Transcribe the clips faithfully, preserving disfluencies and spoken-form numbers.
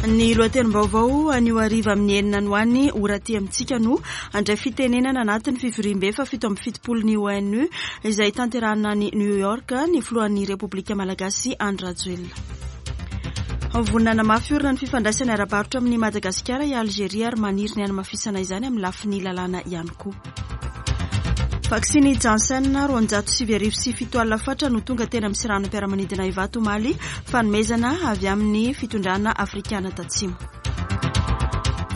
Ny lohatenim-baovao anio hariva amin'ny enina no any ora aty amintsika no handray fitenenana anatin'ny fivoriambe fahafito amby fitopolo ny O N U izay tanterahina any New York ny filohan'ny Repoblika Malagasy Andry Rajoelina. Vonona hanamafy orina ny fifandraisana ara-barotra amin'ny Madagasikara i Algeria ary maniry ny hanamafisana izany amin'ny lafiny lalàna ihany koa. Vaksiny Janssen roanjato sivy arivo sy fito alina fatra no tonga tena amin'ny seranam-piaramanidina Ivato omaly, fanomezana avy amin'ny fitondrana afrikana tatsimo.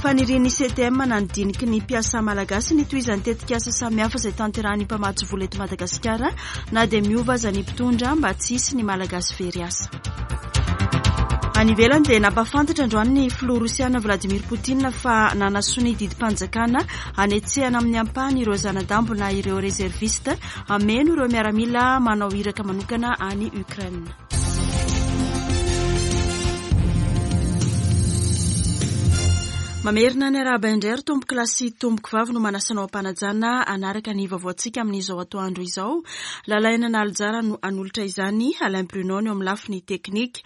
Fanirian'ny C T M na ny diniky ny mpiasa malagasy ny tohizan'ny tetikasa samihafa izay tanterahan'ny mpamatsy vola eto Madagasikara na dia miova aza ny mpitondra, mba tsy hisy ny Malagasy very asa. Any ivelany dia nampafantatra androany ny filoha rosiana Vladimir Poutine fa nanasonia didim-panjakana anetsehana amin'ny ampahany ireo zanadambo na ireo réserviste ameno ireo miaramila manao iraka manokana any Ukraine. Mamerina ny arahaba indray ry tompoko lahy sy tompoko vavy no manasanao am-panajana anaraka ny vaovaontsika amin'izao atoandro izao. Lalaina Nalijara no anolotra izany, Alain Bruno eo amin'ny lafiny teknika.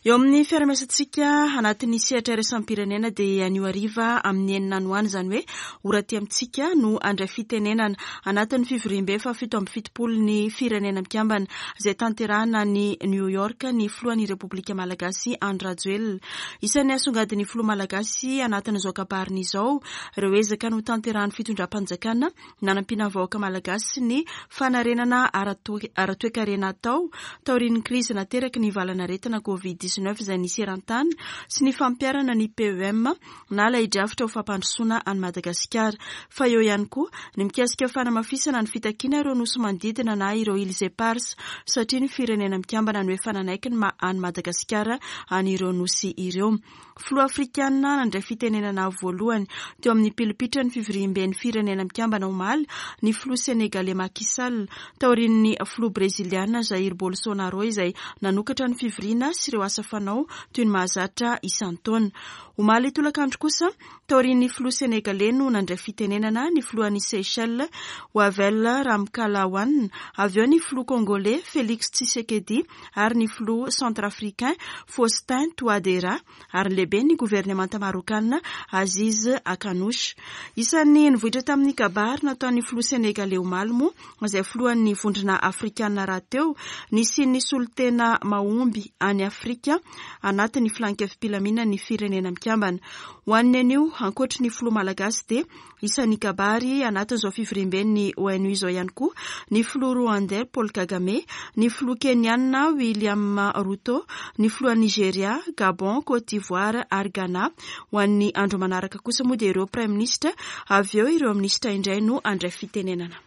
Eo amin'ny fiarahamiasantsika anatin'ny sehatra iraisam-pirenena dia anio hariva amin'ny enina no any, izany hoe ora aty amintsika, no andray fitenenana anatin'ny fivoriambe fahafito amby fitopolo ny Firenena Mikambana izay tanterahina ny New York ny filohan'ny Repoblika Malagasy Andry Rajoelina. Isan'ny asongadin'ny filoha malagasy anatin'izao kabariny izao ireo ezaka no tanterahan'ny fitondram-panjakana nanampiana vahoaka malagasy ny fanarenana ara-toekarena atao taorian'ny krizy nateraky ny valanaretina Covid dix-neuf izay nisy eran-tany sy ny fampiharana ny P E M na ilay drafitra ho fampandrosoana any Madagasikara, fa eo ihany koa ny mikasika fanamafisana ny fitakiana ireo nosy manodidina na ireo îles éparses, satria ny Firenena Mikambana no efa nanaiky ny maha any Madagasikara an'ireo nosy ireo. Filoha afrikanina nandray fitenenana voalohany teo amin'ny pilipitra ny fivoriambe ny Firenena Mikambana omaly ny filoha sénégalais Macky Sall, taorian'ny filoha breziliana Jair Bolsonaro izay nanokatra ny fivoriana sy ireo asa fanao toy ny mahazatra isan-taona. Omaly tolakandro kosa, taorian'ny filoha sénégalais, no nandray fitenenana ny filohan'ny Seychelles Wavel Ramkalawan, avy eo ny filoha congolais Félix Tshisekedi ary ny filoha centrafricain Faustin Touadéra ary lehibe ny governemanta marokana Aziz Akhannouch. Isan'ny nivoitra tamin'ny kabary nataon'ny filoha sénégalais omaly moa, izay filohan'ny Vondrona Afrikana raha teo, nisy ny solontena mahomby any Afrika anatin'ny filan-kevi-pilaminan'ny Firenena Mikambana. Ho an'ny anio, ankoatry ny filoha malagasy, dia isan'ny kabary anatin'izao fivoriamben'ny O N U izao ihany koa ny filoha rwandais Paul Kagame, ny filoha kenianina William Ruto, ny filoha Nigeria, Gabon, Côte d'Ivoire ary Ghana. Ho an'ny andro manaraka kosa moa dia ireo praiminisitra, avy eo ireo minisitra indray no andray fitenenana.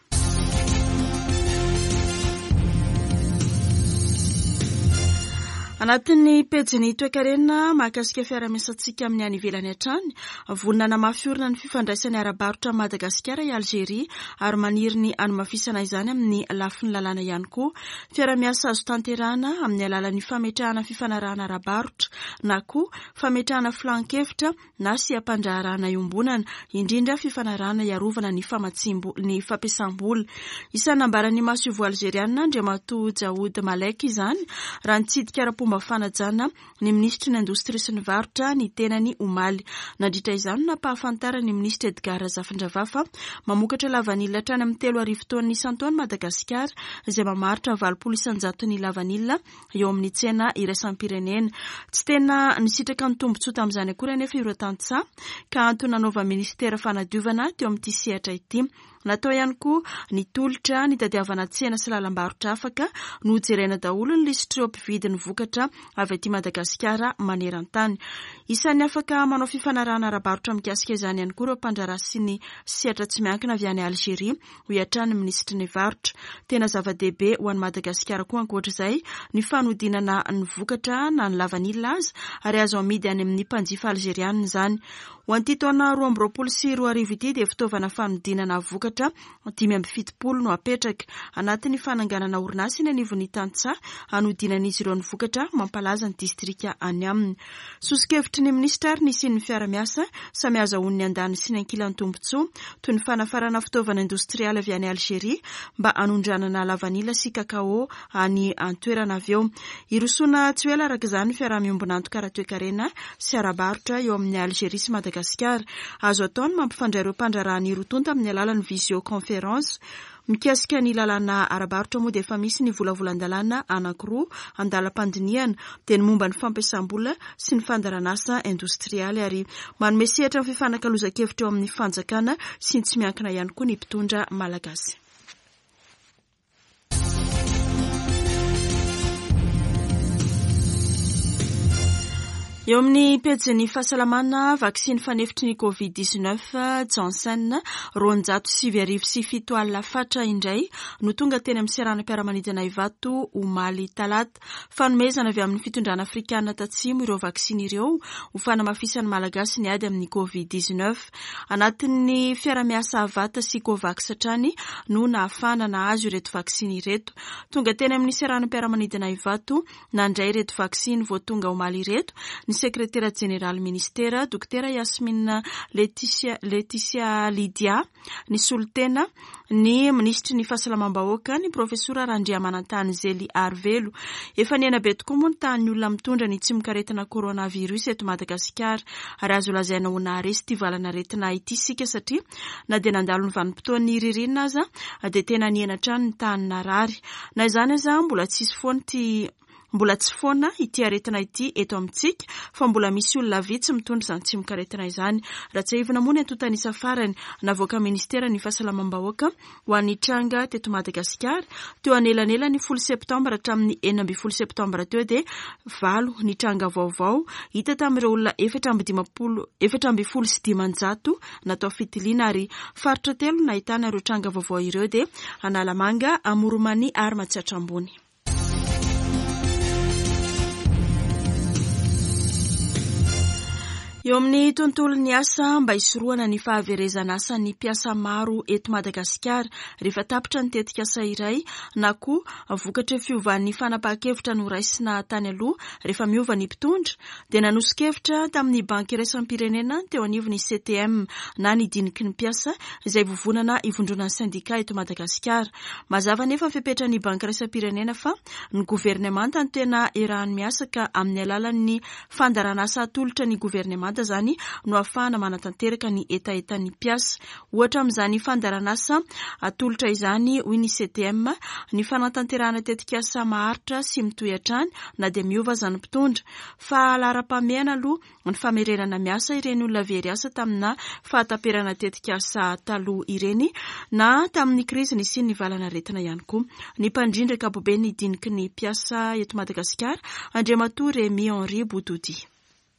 Anatin'ny pejiny toekarena mahakasika fiarahamiasantsika amin'ny any ivelany hatrany, vonona hanamafy orina ny fifandraisany ara-barotra Madagasikara i Algeria ary maniry ny hanamafisana izany amin'ny lafiny lalàna ihany koa. Fiarahamiasa azo tanterahana amin'ny alalan'ny fametrahana fifanarahana ara-barotra na koa fametrahana filan-kevitra na seha-pandraharahana iombonana, indrindra fifanarahana hiarovana ny famatsim- ny fampiasam-bola. Isan'ny nambaran'ny masoivoho algeriana Andriamatoa Jaoud Malek izany raha nitsidika ara-pomba fanajana ny minisitry ny Indostria sy ny Varotra ny tenany omaly. Nandritra izany no nampahafantarany ny minisitra Edgard Razafindravahy mamokatra lavanila hatrany amin'ny telo arivo taonina isan-taona Madagasikara, izay mamaritra valopolo isan-jato ny lavanila eo amin'ny tsena iraisam-pirenena. Tsy tena nisitraka ny tombontsoa tamin'izany akory anefa ireo tantsaha, ka antony nanaovan'ny ministera fanadiovana teo amin'ity sehatra ity. Natao ihany koa ny tolotra nitadiavana tsena sy lalam-barotra afaka no jerena daholo ny lisitr'ireo mpividy ny vokatra avy aty Madagasikara maneran-tany. Isan'ny afaka manao fifanarahana ara-barotra mikasika izany ihany koa ireo mpandraharaha sy ny sehatra tsy miankina avy any Algeria, hoy hatrany ny minisitry ny Varotra. Tena zava-dehibe ho an'i Madagasikara koa ankoatra izay ny fanodinana ny vokatra na ny lavanila aza, ary azo amidy any amin'ny mpanjifa algerianina izany. Ho an'ity taona roa amby roapolo sy roa arivo ity dia fitaovana fanodinana vokatra vokatra dimy amby fitopolo no apetraka. Anatin'ny fananganana orinasa eny anivon'ny tantsaha hanodinan'izy ireo ny vokatra mampalaza ny distrika any aminy. Soso-kevitry ny minisitra ary nisian'ny fiara-miasa samy azahoan'ny andany sy ny ankilany tombontsoa toy ny fanafarana fitaovana indostrialy avy any Algeria mba hanondranana lavanila sy kakao any an-toerana avy eo. Hirosoana tsy ho ela araka izany fiaraha-miombon'antoka ara-toekarena sy ara-barotra eo amin'ny Algeria sy Madagasikara. Azo atao ny mampifandray ireo mpandraharaha ny roa tonta amin'ny alalan'ny visioconférence. Mikasika ny lalàna ara-barotra moa dia efa misy ny volavolan-dalàna anankiroa andalam-pandinihana, dia ny momba ny fampiasam-bola sy ny fandaharanasa indostrialy, ary manome sehatra ny fifanakalozan-kevitra eo amin'ny fanjakana sy ny tsy miankina ihany koa ny mpitondra malagasy. Eo amin'ny pejin'ny fahasalamana, vaksiny fanefitry ny covid dix-neuf Janssen roanjato sivy arivo sy fito alina fatra indray no tonga teny amin'ny seranam-piaramanidina Ivato omaly talata. Fanomezana avy amin'ny fitondrana afrikana tatsimo ireo vaksiny ireo ho fanamafisan'ny malagasy ny ady amin'ny covid dix-neuf. Anatin'ny fiaramiasa Avata sy Covax hatrany no nahafahana nahazo ireto vaksiny ireto. Tonga teny amin'ny seranam-piaramanidina Ivato nandray ireto vaksiny vao tonga omaly ireto ny sekretera jeneraly ministera Dokotera Yasmine Laetitia, Laetitia Lydia, ny solontena ny minisitry ny fahasalamam-bahoaka ny profesora Randriamanantany Zely Arivelo. Efa nihena be tokoa moa ny tahan'ny olona mitondra ny tsimokaretina coronavirus eto Madagasikara, ary azo lazaina ho naharesy ity valanaretina ity isika satria na dia nandalo ny vanim-potoan'ny ririnina aza dia tena nihena hatrany ny tahan'ny narary. Na izany aza mbola tsisy foana ity Mbola tsy foana ity aretina ity eto amintsika fa mbola misy olona vitsy mitondra izany tsimokaretina izany. Raha tsiahivina moa ny antontan'isa farany navoaka ministera ny fahasalamam-bahoaka ho an'ny tranga teto Madagasikara teo anelanelan'ny folo septambra hatramin'ny enina ambin'ny folo septambra teo dia valo ny tranga vaovao hita tamin'ireo olona efatra amby dimampolo, efatra ambin'ny folo sy dimanjato natao fitiliana, ary faritra telo nahitana ireo tranga vaovao ireo dia Analamanga, Amoron'i ary Matsiatra Ambony. Eo amin'ny tontolon'ny asa, mba hisorohana ny fahaverezana asan'ny mpiasa maro eto Madagasikara rehefa tapitra ny tetikasa iray na koa vokatry ny fiovan'ny fanapahan-kevitra noraisina tany aloha rehefa miova ny mpitondra, dia nanoso-kevitra tamin'ny banky iraisam-pirenena teo anivon'ny C T M na ny diniky ny mpiasa izay vovonana ivondronan'ny sendika eto Madagasikara. Mazava nefa ny fepetran'ny banky iraisam-pirenena fa ny governemanta no tena iarahany miasa ka amin'ny alalan'ny fandaharanasa atolotra ny governemanta zany no ahafahana manatanteraka ny hetahetan'ny mpiasa. Ohatra amin'izany fandaharanasa atolotra izany, hoy ny C T M, ny fanatanterahana tetikasa maharitra sy mitohy hatrany na dia miova aza ny mpitondra. Fa laharam-pahamehana aloha ny famerenana miasa ireny olona very asa tamina fahataperana tetikasa taloha ireny na tamin'ny krizy nisian'ny valanaretina ihany koa. Ny mpandrindra ankapobe ny diniky ny mpiasa eto Madagasikara, Andriamatoa Rémi Henri Boutoudy.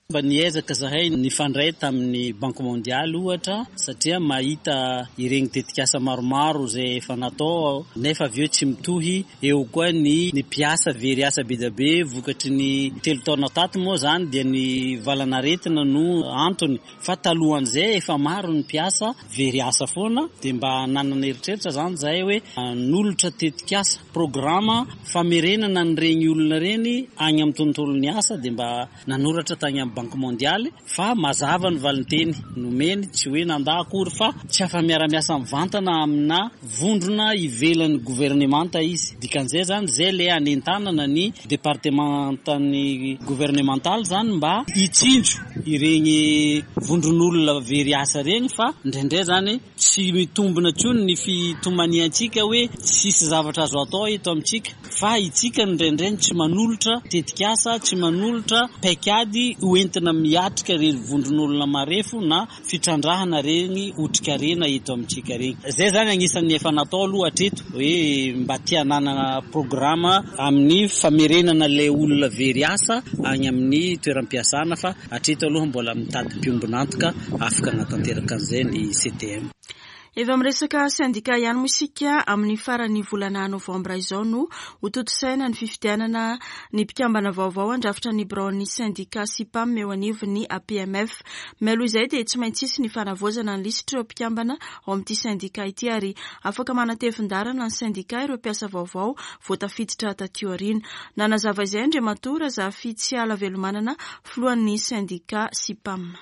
Mba niezaka zahay nifandray tamin'ny Banque Mondiale ohatra satria mahita ireny tetikasa maromaro izay efa natao nefa avy eo tsy mitohy. Eo koa ny, ny mpiasa very asa be dia be vokatry ny telo taona tato moa zany dia ny valanaretina no antony, fa talohan'izay efa maro ny mpiasa very asa foana, dia mba nanana eritreritra zany zahay hoe hanolotra tetikasa programa famerenana an'ireny olona ireny any amin'ny tontolon'ny asa, dia mba nanoratra tany amin'ny Banque Mondiale fa mazava ny valinteny nomeny, tsy hoe nandà akory fa tsy afa-miara-miasa mivantana amina vondrona ivelan'ny governemanta izy. Dikan'izay zany zay le anentanana ny departementan'ny gouvernemental zany mba hitsinjo ireny vondron'olona very asa ireny, fa indraindray zany tsy mitombina intsony ny fitomaniantsika hoe tsisy zavatra azo atao eto amintsika, fa itsika indraindray tsy manolotra tetikasa, tsy manolotra paikady hoentina miatrika ireny vondron'olona marefo na fitrandrahana ireny otrikarena eto amintsika ireny. Zay zany anisan'ny efa natao aloha hatreto hoe mba te hanana programa amin'ny famerenana ilay olona very asa any amin'ny toeram-piasana, fa hatreto aloha mbola mitady mpiombon'antoka afaka hanatanteraka an'izay ny C T M. Efa miresaka sendika ihany moa isika. Amin'ny faran'ny volana novambra izao no hotontosaina ny fifidianana ny mpikambana vaovao handrafitra ny biraon'ny sendika SIPAM eo anivon'ny A P M F. Mialoha izay dia tsy maintsy hisy ny fanavaozana ny lisitr'ireo mpikambana ao amin'ity sendika ity, ary afaka manatevin-daharana ny sendika ireo mpiasa vaovao voatafiditra taty aoriana. Nanazava izay Andriamatoa Razafitsiala Velomanana, filohan'ny sendika SIPAM.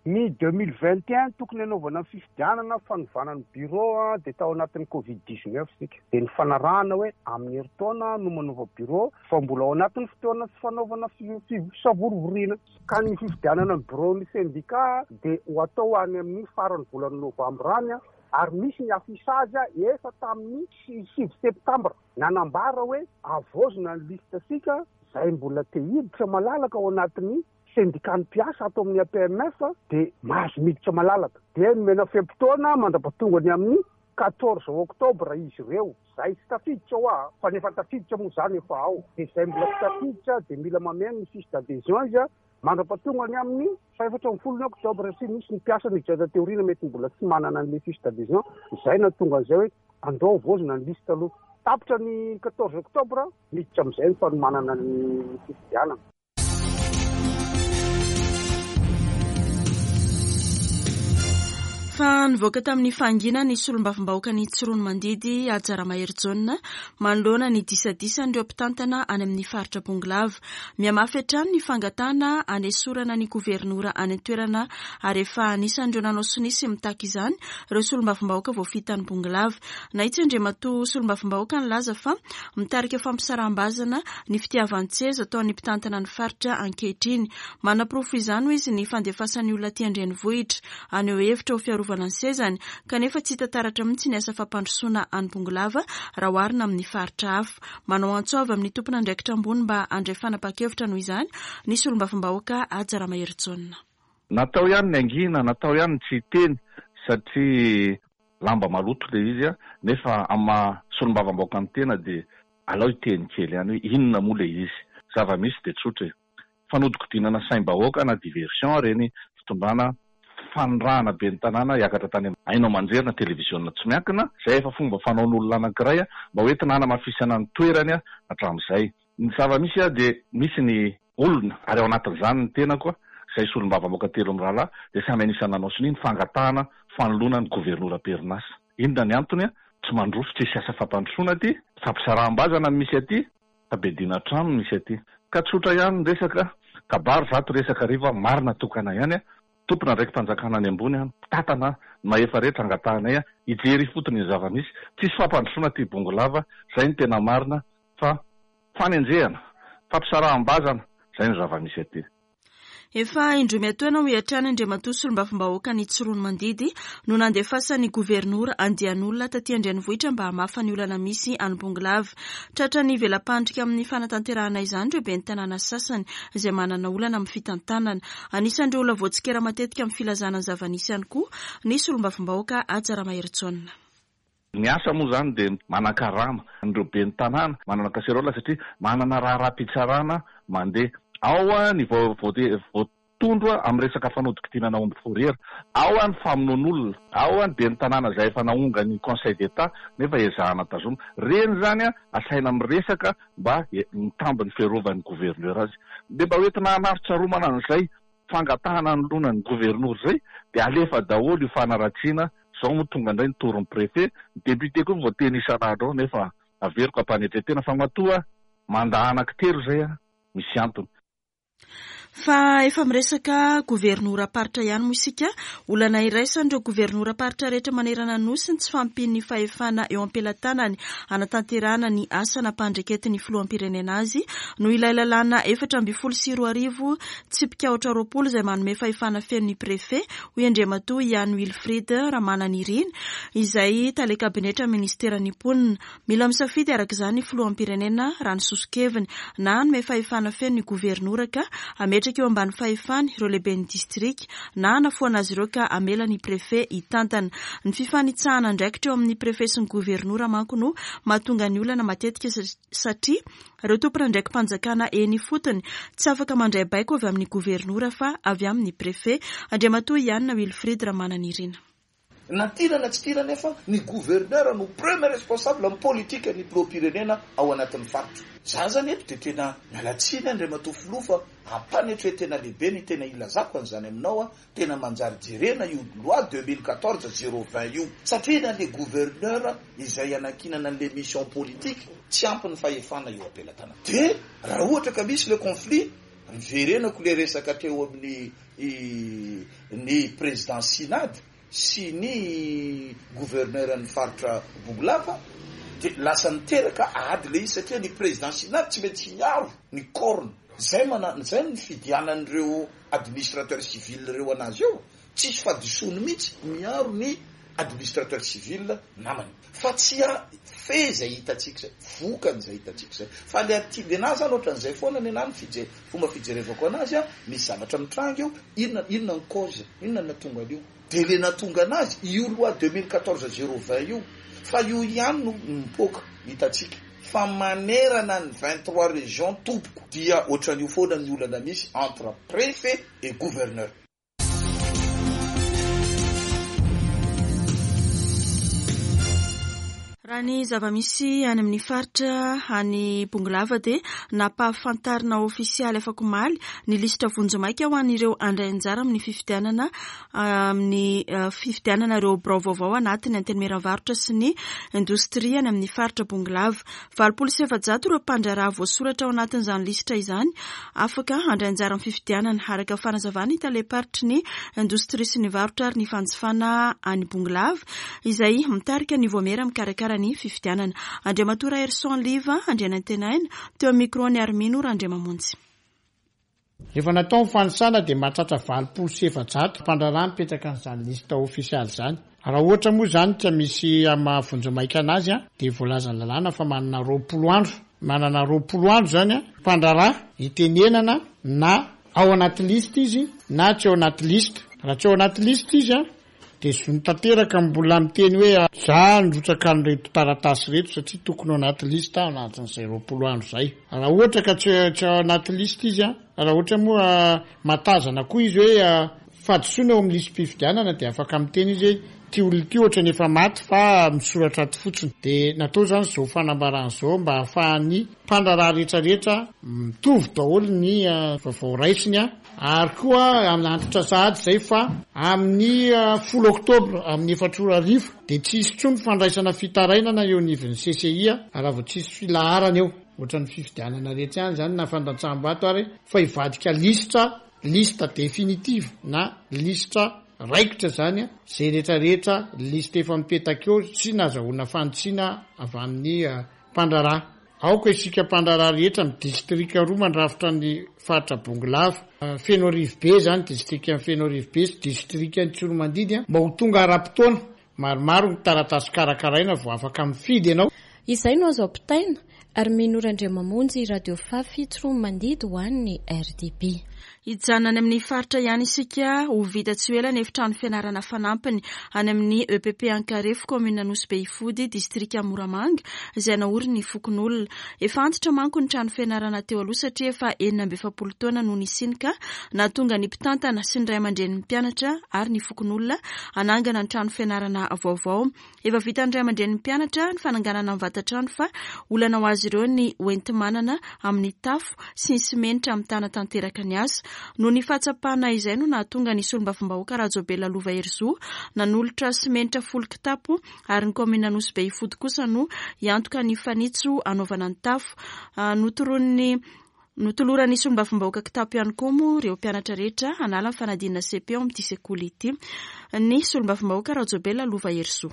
Ny deux mille vingt et un tokony anaovana ny fifidianana fanovana ny bureau a de tao anatin'ny Covid dix-neuf sika, de ny fanarahana hoe amin'ny herintaona no manova bureau, fa mbola ao anatin'ny fotoana sy fanaovana fisavorovoriana, ka ny fifidianana ny bureau ny syndicat de ho atao any amin'ny farany volana novambra any a ary misy ny affichage efa tamin'ny sivy septambra nanambara hoe avozina ny liste sika zay mbola te hiditra malalaka ao anatin'ny syndicat ny mpiasa atao amin'ny A P M F, de mahazo miditra malalaka, de nomena fe-potoana mandra-pahatongany amin'ny quatorze octobre izy ireo zay tsy tafiditra ao a fa nefa tafiditra moa zany efa ao, de zay mbola tsy tafiditra de mila mameno ny fiche d'adhésion izy a mandra-pahatongany amin'ny faefatra amby folo ny octobre. Sy misy ny mpiasa niditra teorina mety mbola tsy manana an'le fiche d'adhésion zay na tonga an'izay hoe andao vozina ny liste aloha. Tapitra ny quatorze octobre, miditra am'izay ny fanomanana ny fifidianana. Fa nivoaka tamin'ny fahangina ny solombavambahoaka ny Tsiroanomandidy, Haja Ramaherijaona, manoloana ny disadisan'ireo mpitantana any amin'ny faritra Bongolava. Mihamafy hatrany ny fangatahana anesorana ny governora any an-toerana, ary efa anisan'ireo nanao sonia sy mitaky izany ireo solombavambahoaka voafidy Bongolava. Nahitsy Andriamatoa solombavambahoaka nilaza fa mitarika fampisaraham-bazana ny fitiavan-tseza ataon'ny mpitantana ny faritra ankehitriny. Manaporofo izany, hoy izy, ny fandefasan'ny olona aty an-drenivohitra haneho hevitra ho fiarovana ny sezany, kanefa tsy hita taratra mihitsy ny asa fampandrosoana any Bongolava raha oharina amin'ny faritra hafa. Manao antso avy amin'ny tompon'andraikitra ambony mba handray fanapahan-kevitra noho izany ny solombavambahoaka Haja Ramaherijaona. Natao ihany ny angina, natao ihany ny tsy hiteny satria lamba maloto le izy a nefa ama solombavambahoaka ny tena de alao hiteny kely ihany hoe inona moa le izy. Zava-misy de tsotra e, fanodikodinana saim-bahoaka na diversion reny fitondrana fanirahana be ny tanàna hiakatra tany haino aman-jery na televiziona tsy miankina zay efa fomba fanaon'olona anankiray a mba hoentina hanamafisana ny toerany a hatramin'izay. Ny zava-misy a de misy ny olona, ary ao anatin'izany ny tenako a zay solombavambahoaka telo amin'ny rahalahy, de samy anisan'ny nanao sonia ny fangatahana fanoloana ny governora am-perinasa. Inona ny antony? A tsy mandroso, tsisy asa fampandrosoana aty, fampisaraham-bazana ny misy aty, fabedina trano misy aty. Ka tsotra ihany ny resaka kabary, zato resaka riva, marina tokana ihany a tompona andraiki-panjakana any ambony a mpitantana mahefa rehetra, angatahanay a hijery ifotony ny zava-misy. Tsisy fampandrosoana ty Bongolava zay ny tena marina, fa fanenjehana, fampisaraham-bazana, zay ny zava-misy aty. Efa indroa miatoana, hoy hatrany Andriamatoa solombavambahoaka ny Tsiroanomandidy, no nandefasan'ny governora andian'olona taty an-drenivohitra mba hamafa ny olana misy any Bongolava. Tratra ny vela-pandrika amin'ny fanatanterahana izany ireo ben'ny tanàna sasany izay manana olana amin'ny fitantanana. Anisan'ireo olona voatsikera matetika amin'ny filazana ny zava-nisy ihany koa ny solombavambahoaka Haja Ramaherijaona. Ny asa moa zany de manan-karama an'ireo ben'ny tanàna manana kaserola satria manana raharaha-pitsarana mandeha ao a ny vo voatondro a amin'ny resaka fanodikodinana omby fourrière ao a ny famonoan'olona ao a ny ben'ny tanàna zay efa naonga ny Conseil d'État nefa ezahana tazoma reny zany a asaina miresaka mba mitamby ny fiarovan'ny gouverneur azy, de mba hoentina hanaritsaromana an'izay fangatahana anoloana ny gouverneur zay, de alefa daholo io fanaratsiana zao moa tonga indray ny toron'ny préfet, ny député koa voateny isan'andro ao, nefa averiko ampanetretena fa matoa manda anaky telo zay a misy antony. Fa efa miresaka governoram-paritra ihany moa isika. Olana iraisan'ireo governoram-paritra rehetra manerana nosy ny tsy fahampian'ny fahefana eo am-pelatanany anatanterahana ny asa nampandraiketin'ny filoham-pirenena azy, noho ilay lalàna efatra amby folo sy roa arivo tsipika aotra roapolo izay manome fahefana feno ny préfet, hoy Andriamatoa Ihany Wilfried Ramananirina, izay tale kabinetra ministeran'ny mponina. Mila misafidy araka izany ny filoham-pirenena raha ny soso-keviny, na hanome fahefana feno ny governora ka ametraka eo ambany fahefany ireo lehiben'ny distrika, na hanafoana azy ireo ka amela ny préfet hitantana. Ny fifanitsahana andraikitra eo amin'ny préfet sy ny governora manko no mahatonga ny olana matetika, satria ireo tompon'andraiki-panjakana eny fotony tsy afaka mandray baiko avy amin'ny governora fa avy amin'ny préfet. Andriamatoa Ianina Wilfried Ramananirina. Na tiana na tsy tiana nefa ny gouverneur no premier responsable amin'ny politique ny filoham-pirenena ao anatin'ny faritra. Za zany eto de tena miala tsiny Andriamatoa Filoha fa ampanetretena lehibe ny tena ilazako an'izany aminao a, tena manjary jerena io loi deux mille quatorze zéro vingt io, satria na le gouverneur izay anankinana an'le mission politique tsy ampy ny fahefana eo am-pelatanana. De raha ohatra ka misy le conflit, miverenako le resaka teo amin'ny ny président Synade sy ny gouverneur ny faritra Bongolava, de lasa niteraka ady le izy satria ny président Synade tsy maintsy miaro ny corne. Zay mana, zay ny fidianan'ireo administrateur civil ireo anazy eo, tsisy fahadisoany mihitsy miaro ny administrateur civil namany. Fa tsy a fe zay hitantsika zay, vokany zay hitantsika zay. Fa le aty le nazy zany ohatran'izay foana ny anahy ny fije-, fomba fijerevako anazy a, misy zavatra mitranga eo, inona, inona ny cause, inona no nahatonga an'io. De le nahatonga anazy io loi deux mille quatorze zéro vingt io, fa io ihany no mipoaka hitantsika. Fa manerana ny vingt-trois régions tompoko dia ohatran'io foana ny olana misy entre préfet et gouverneur. Raha ny zava-misy any amin'ny faritra any Bongolava dia nampahafantarina ofisialy afak'omaly ny lisitra vonjimaika ho an'ireo handray anjara amin'ny fifidianana, amin'ny fifidianana ireo birao vaovao anatin'ny antenimieran'ny varotra sy ny indostria any amin'ny faritra Bongolava. Valopolo sy efajato ireo mpandraharaha voasoratra ao anatin'izany lisitra izany afaka handray anjara amin'ny fifidianana, araka fanazavana ny talem-paritry ny indostria sy ny varotra ary ny fanjifana any Bongolava izay mitarika ny voamera mikarakara ny fifidianana. Andriamatoa Raherison Liva Andrianantenaina teo amin'ny micro-ny Armino Randriamamonjy. Rehefa natao ny fanisana dia mahatratra valopolo sy efajato mpandraharaha mipetraka an'izany lista ofisialy izany. Raha ohatra moa izany ka misy amin'ny vonjimaika anazy a, dia voalazan'ny lalàna fa manana roapolo andro. Manana roapolo andro izany a, mpandraharaha hitenenana na ao anaty lista izy na tsy ao anaty lista. Raha tsy ao anaty lista izy a, dia zony tanteraka mbola miteny hoe za nirotsaka an'ireto taratasy ireto satria tokony ao anaty lista ao anatin'izay roapolo andro izay. Raha ohatra ka tsy, tsy ao anaty lista izy a, raha ohatra moa matazana koa izy hoe fahadisoana eo amin'ny listim-pifidianana dia afaka miteny izy hoe ty olona ity ohatra ny efa maty fa misoratra ato fotsiny. Dia natao izany izao fanambarana izao mba hahafahan'ny mpandraharaha rehetrarehetra mitovy daholo ny vaovao raisiny a. Ary koa anantitra sahady izay fa amin'ny folo oktobra amin'ny efatra ora hariva dia tsy hisy intsony fandraisana fitarainana eo anivon'ny C C I a, raha vao tsy hisy filaharana eo. Ohatran'ny fifidianana rehetra ihany izany na fandatsaham-bato ary fa hivadika lisitra, lista définitive na lisitra raikitra izany a, izay rehetrarehetra lista efa mipetaka eo sy nazahoana fanitsiana avy amin'ny mpandraharaha. Aoka isika mpandraharaha rehetra amin'ny distrika roa mandrafitra ny faritra Bongolava, Fenoarivobe izany, distrikan'i Fenoarivobe sy distrikan'i Tsiroamandidy a, mba ho tonga ara-potoana. Maromaro ny taratasy karakaraina vao afaka mifidy ianao. Izay no azo ampitaina. Armino Randriamamonjy, Radio Fafy, Tsiroamandidy ho an'ny R D B. Hijanona any amin'ny faritra ihany isika, ho vita tsy ho ela ny efitrano fianarana fanampiny any amin'ny E P P Ankarefo, commune Nosy Be Ifody, distrika Moramanga, izay naorin'ny fokonolona. Efa antitra manko ny trano fianarana teo aloha satria efa enina amby efapolo taona no nisiany ka nahatonga ny mpitantana sy ny ray aman-drenin'ny mpianatra ary ny fokonolona hanangana ny trano fianarana vaovao. Efa vitan'ny ray aman-drenin'ny mpianatra ny fananganana ny vatan-trano fa olana ho azy ireo ny hoenti-manana amin'ny tafo sy ny simenitra mitana tanteraka ny asa. Noho ny fahatsapana izay no nahatonga ny solombavambahoaka Rajaobelina Lova Herizo nanolotra simenitra folo kitapo ary ny kaominina Nosy Be Ifody kosa no hiantoka ny fanitso hanaovana ny tafo. Ah, notoroan'ny Notoloran'ny solombavambahoaka kitapo ihany koa moa ireo mpianatra rehetra hanala ny fanadinana C P ao amin'ity sekoly ity. Ny solombavambahoaka Rajaobelina Lova Herizo.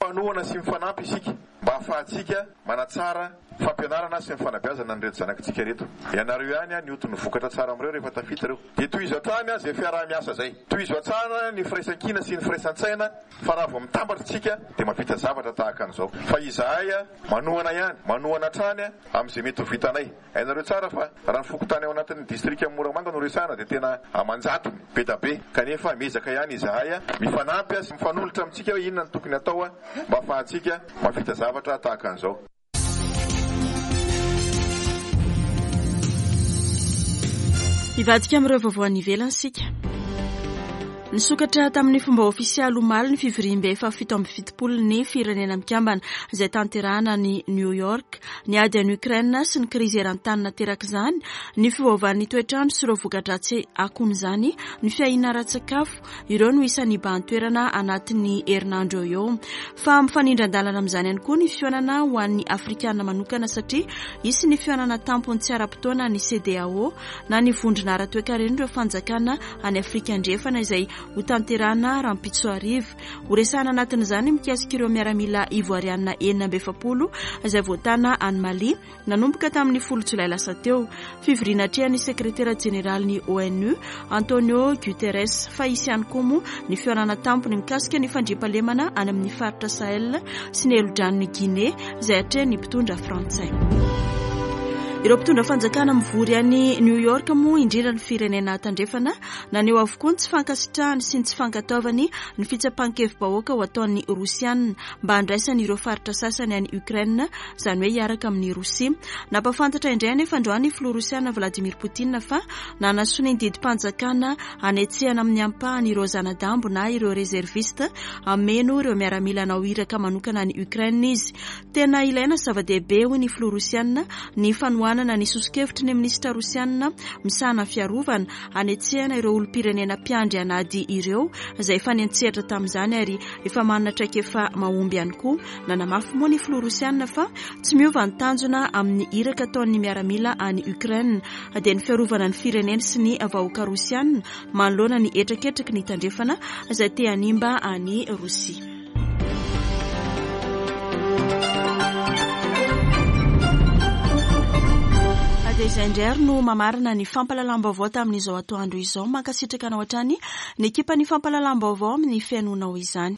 Mpanohana sy mifanampy isika mba hahafahantsika manatsara fampianarana sy ny fanabeazana an'ireto zanakitsika ireto. Ianareo ihany a, ny otin'ny vokatra tsara amin'ireo rehefa tafita ireo. Dia tohizo hatrany a, izay fiaraha-miasa izay. Tohizo hatrany ny firaisankina sy ny firaisan-tsaina fa raha vao mitambatra isika dia mahavita zavatra tahaka an'izao. Fa izahay a, manohana ihany, manohana hatrany a, amin'izay mety ho vitanay. Hainareo tsara fa raha ny fokontany ao anatin'ny distrika Moramanga no resahana dia tena aman-jatony be da be. Kanefa miezaka ihany izahay a, mifanampy a, sy mifanolotra amintsika hoe inona no tokony atao a, mba hahafahantsika mahavita zavatra tahaka an'izao. Hivadika amin'ireo vaovao any ivelany isika. Nisokatra tamin'ny fomba ofisialy omaly ny fivoriambe fahafito amby fitopolo ny Firenena Mikambana izay tanterahana any New York. Ny ady any Ukraine sy ny krizy eran-tany naterak'izany, ny fiovaovan'ny toetrandro sy ireo voka-dratsy akon'izany, ny fiahiana ara-tsakafo, ireo no isan'ny hibahan-toerana anatin'ny herinandro eo eo. Fa mifanindran-dalana amin'izany ihany koa ny fihaonana ho an'ny Afrikana manokana satria hisy ny fihaonana tampony tsy ara-potoana ny C D A O na ny vondrona ara-toekaren'ireo fanjakana any Afrika Andrefana izay ho tanterahana rahampitso hariva. Horesahana anatin'izany mikasika ireo miaramila ivoarianina enina amby efapolo izay voatana any Mali nanomboka tamin'ny folo jolay lasa teo. Fivoriana atrehan'ny sekretera jeneralin'ny O N U Antonio Guterres, fa hisy ihany koa moa ny fihaonana tampony mikasika ny fandriampahalemana any amin'ny faritra Sahel sy ny helodranon'i Guinée izay atrehan'ny mpitondra frantsay. Ireo mpitondra fanjakana mivory any New York moa, indrindra ny firenena tandrefana, naneho avokoa ny tsy fankasitrahany sy ny tsy fankatoavany ny fitsapan-kevi-bahoaka ho ataon'ny Rosianina mba handraisany ireo faritra sasany any Ukraine, izany hoe hiaraka amin'ny Rosia. Nampafantatra indray anefa androany filoha rosiana Vladimir Poutine fa nanasonia ny didim-panjakana anetsehana amin'ny ampahany ireo zanadambo na ireo réserviste ameno ireo miaramila hanao iraka manokana any Ukraine izy. Tena ilaina, zava-dehibe, hoy ny filoha rosiana, ny fanohanana ny soso-kevitry ny minisitra rosianina misahana fiarovana anetsehana ireo olom-pirenena mpiandry anady ireo izay efa niantsehatra tamin'izany ary efa manana traikefa mahomby ihany koa. Nanamafy moa ny filoha rosianina fa tsy miova ny tanjona amin'ny iraka ataon'ny miaramila any Ukraine, dia ny fiarovana ny fireneny sy ny vahoaka rosianina manoloana ny hetraketraky ny tandrefana izay te hanimba any Rosia. Dia izay indray ary no mamarana ny fampahalalam-baovao tamin'izao atoandro izao. Mankasitraka anao hatrany ny ekipa ny fampahalalam-baovao amin'ny fihainoanao izany.